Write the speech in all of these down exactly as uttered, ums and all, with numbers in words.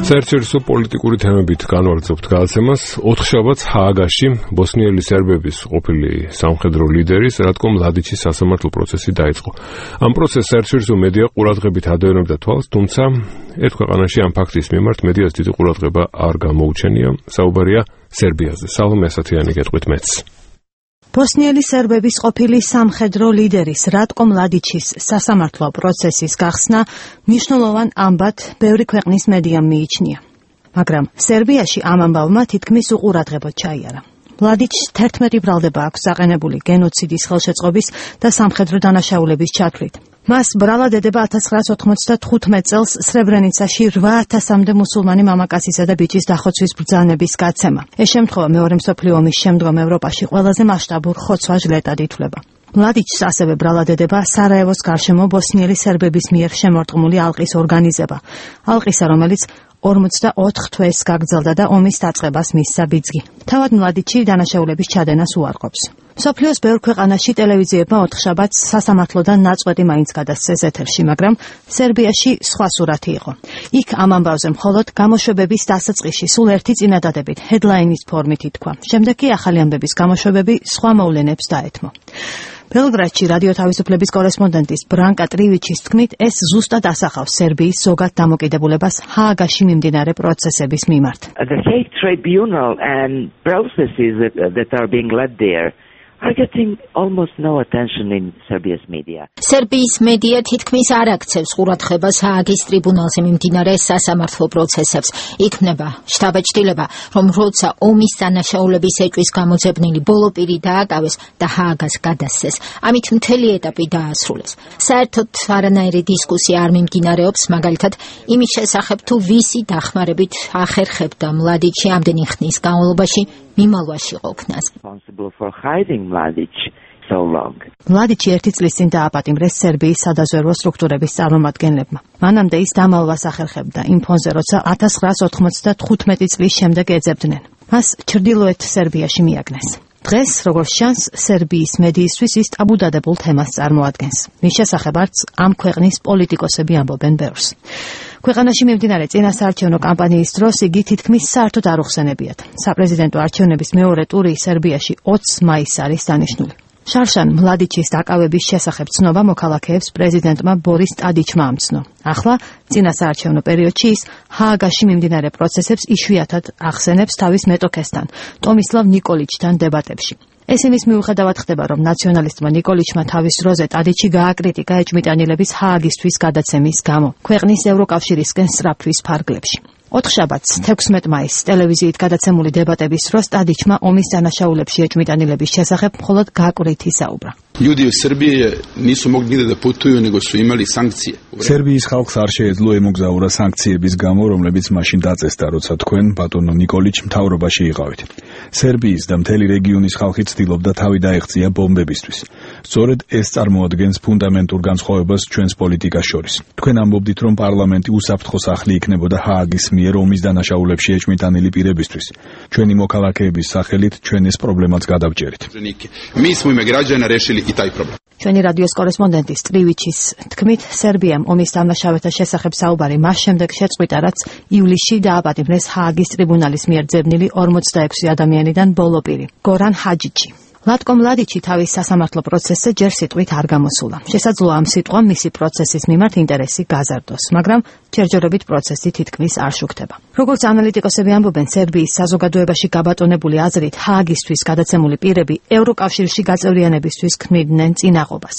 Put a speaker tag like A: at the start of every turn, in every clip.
A: საერთაშორისო პოლიტიკური თემებით განვაგრძობთ გადაცემას. ოთხშაბათს ჰააგაში ბოსნიელი სერბების ყოფილი სამხედრო ლიდერის რატკო მლადიჩის სასამართლო პროცესი დაიწყო. ამ პროცესს საერთაშორისო მედია ყურადღებით ადევნებდა თვალს, თუმცა ერთ ქვეყანაში ამ ფაქტის მიმართ მედიას დიდი ყურადღება არ გამოუჩენია. საუბარია სერბიაზე. სალომე ასათიანი გეტყვით მეც.
B: ბოსნიელი სერბების ყოფილი სამხედრო ლიდერის რატკო მლადიჩის სასამართლო პროცესის გახსნა მნიშვნელოვან ამბად ბევრი ქვეყნის მედიამ მიიჩნია. მაგრამ სერბიაში ამ ამბავმა თითქმის უყურადღებოდ ჩაიარა. მლადიჩს თერთმეტი ბრალდება აქვს აყენებული გენოციდის ხელშეწყობის და სამხედრო დანაშაულების ჩათვლით. მას ბრალა დედება ათას ცხრაას ოთხმოცდათხუთმეტ წელს სრებრენიცაში რვა ათასამდე მუსულმანი მამაკაცისა და ბიჭის დახოცვის ბრძანების გაცემა. ეს შემთხვევა მეორე მსოფლიო ომის შემდგომ ევროპაში ყველაზე მასშტაბურ ხოცვა-ჟლეტად ითვლება. მლადიჩს ასევე ბრალა დედება სარაევოს გარშემო ბოსნიელი სერბების მიერ შემორტყმული ალყის ორგანიზება. ალყისა, რომელიც ორმოცდაოთხ თვეს გაგრძელდა და ომის დაწყებას მისცა ბიძგი. თავად მლადიჩი დანაშაულების ჩადენას უარყოფს. მსოფლიოს ბევრ ქვეყანაში ტელევიზიებმა ოთხშაბათს სასამართლოდან ნაწყვეტი მაინც გადასცეს ეთერში, მაგრამ სერბიაში სხვა სურათი იყო. იქ ამ ამბავზე მხოლოდ გამოშვებების დასაწყისში სულ ერთი წინადადებით ჰედლაინის ფორმით ითქვა. შემდეგ კი ახალი ამბების გამოშვებები სხვა მოვლენებს დაეთმო. ბელგრადში რადიო თავისუფლების კორესპონდენტის ბრანკა ტრივიჩის თქმით, ეს ზუსტად ასახავს სერბიის ზოგად დამოკიდებულებას ჰააგაში მიმდინარე პროცესების მიმართ.
C: The Hague Tribunal and processes that, that are being led there are getting almost no attention in Serbia's media.
D: სერბიის მედია თითქმის არ აქცევს ყურადღებას ჰააგის ტრიბუნალზე მიმდინარე სასამართლო პროცესებს. იქმნება შთაბეჭდილება, რომ როცა ომის დანაშაულების ეჭვის გამოძებნილი ბოლო პირი დააკავეს და ჰააგას გადასცეს, ამით მთელი ეტაპი დაასრულეს. საერთოდ არანაირი დისკუსია არ მიმდინარეობს, მაგალითად იმის შესახებ, თუ ვისი დახმარებით ახერხებდა მლადიჩი ამდენი ხნის განმავლობაში მიმალვაში ყოფნას.
B: მლადიჩი ერთი წლის წინ დააპატიმრეს სერბიის სადაზვერვო სტრუქტურების წარმომადგენლებმა. მანამდე ის დამალვას ახერხებდა იმ ფონზე, როცა ათას ცხრაას ოთხმოცდათხუთმეტი წლის შემდეგ ეძებდნენ. მას ჩრდილოეთ სერბიაში მიაგნეს. დღეს, როგორც ჩანს, სერბიის მედიისთვის ის ტაბუდადებულ თემას წარმოადგენს. მის შესახებ არც ამ ქვეყნის პოლიტიკოსები ამბობენ ბევრს. ქვეყანაში მიმდინარე წინასაარჩევნო კამპანიის დროს იგი თითქმის საერთოდ არ უხსენებიათ. საპრეზიდენტო არჩევნების მეორე ტური სერბიაში ოცს მაისს არის დანიშნული. შარშან მლადიჩის დაკავების შესახებ ცნობა მოქალაქეებს პრეზიდენტმა ბორის ტადიჩმა ამცნო. ახლა წინასაარჩევნო პერიოდში ის ჰააგაში მიმდინარე პროცესებს იშვიათად ახსენებს თავის მეტოქესთან, ტომისლავ ნიკოლიჩთან დებატებში. ეს იმის მიუხედავად ხდება, რომ ნაციონალისტმა ნიკოლიჩმა თავის დროზე ტადიჩი გააკრიტიკა ეჭვმიტანილების ჰააგისთვის გადაცემის გამო, ქვეყნის ევროკავშირისკენ სწრაფვის ფარგლებში. ოთხშაბათს თექვსმეტ მაისს ტელევიზიით გადაცემული დებატების დროს ტადიჩმა ომის დანაშაულებში ეჭვმიტანილების შესახებ მხოლოდ გაკვრით ისაუბრა.
E: Ljudi u Srbiji nisu mogli nigde da putuju, nego su imali sankcije.
F: სერბიის ხალხს არ შეეძლო ემოგზაურა სანქციების გამო, რომლებიც მაშინ დაწესდა, როცა თქვენ ბატონო ნიკოლიჩ მთავრობაში იყავით. სერბიის და მთელი რეგიონის ხალხი ცდილობდა თავი დაეღწია ბომბებისთვის. სწორედ ეს წარმოადგენს ფუნდამენტურ განსხვავებას ჩვენს პოლიტიკას შორის. თქვენ ამბობდით, რომ პარლამენტი უსაფრთხო სახლი იქნებოდა ჰააგის მიერ ომის დანაშაულებში ეჭვმიტანილი პირებისთვის. ჩვენი მოქალაქეების სახელით ჩვენ ეს პრობლემაც გადავჭერით.
E: Mi smo ime građana rešili i taj problem.
B: ჩვენი რადიოს კორესპონდენტის ტრივიჩის თქმით, სერბიამ ომის დამნაშავეთა შესახებ საუბარი მას შემდეგ შეწყვიტა, რაც ივლისში დააპატიმრეს ჰააგის ტრიბუნალის მიერ ძებნილი ორმოცდაექვსი ადამიანიდან ბოლო პირი, გორან ჰაჯიჩი. ლატკო მლადიჩი თავის სასამართლო პროცესზე ჯერ სიტყვით არ გამოსულა. შესაძლოა ამ სიტყვამ მისი პროცესის მიმართ ინტერესი გაზარდოს, მაგრამ ჯერჯერობით პროცესი თითქმის არ შუქდება. როგორც ანალიტიკოსები ამბობენ, სერბიის საზოგადოებაში გაბატონებული აზრით ჰააგისთვის გადაცემული პირები ევროკავშირში გაწევრიანებისთვის ქმნიდნენ წინაღობას.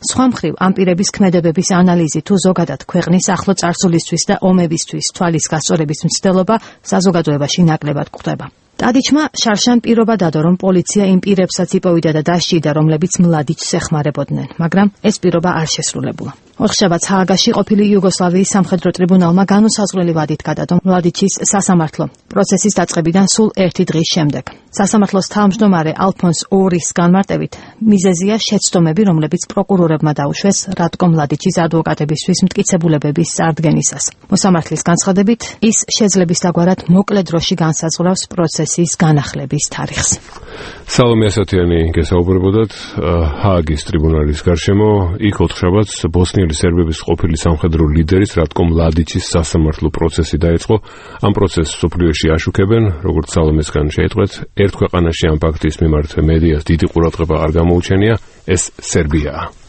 B: სხვა მხრივ, ამ პირების ქმედებების ანალიზი თუ ზოგადად ქვეყნის ახლო წარსულისთვის და ომებისთვის თვალის გასწორების მცდელობა საზოგადოებაში ნაკლებად გვხვდება. ტადიჩმა შარშან პირობა დადო, რომ პოლიცია იმ პირებსაც იპოვიდა და დასჯიდა, რომლებიც მლადიჩს ეხმარებოდნენ, მაგრამ ეს პირობა არ შესრულებულა. ოთხშაბათს ჰააგაში ყოფილი იუგოსლავიის სამხედრო ტრიბუნალმა განუსაზღვრელი ვადით გადადო მლადიჩის სასამართლო პროცესის დაწყებიდან სულ ერთი დღის შემდეგ. სასამართლოს თავმჯდომარე ალფონს ორის განმარტებით, მიზეზია შეცდომები, რომლებიც პროკურორებმა დაუშვეს რატკო მლადიჩის ადვოკატებისთვის მტკიცებულებების წარდგენისას. მოსამართლის განცხადებით, ის შეძლების დაგვარად მოკლე დროში განსაზღვრავს პროცესის განახლების თარიღს.
A: სალომე ასათიანი გესაუბრებოდათ ჰააგის ტრიბუნალის გარშემო. იქ ოთხშაბათს ბოსნიელი ბოსნიელი სერბების ყოფილი სამხედრო ლიდერის რატკო მლადიჩის სასამართლო პროცესი დაიწყო. ამ პროცესს სოფლიოში აშუქებენ, როგორც სალომესგან შეიტყვეთ, ერთ ქვეყანაში ამ ფაქტის მიმართ მედიას დიდი ყურადღება არ გამოუჩენია, ეს სერბიაა.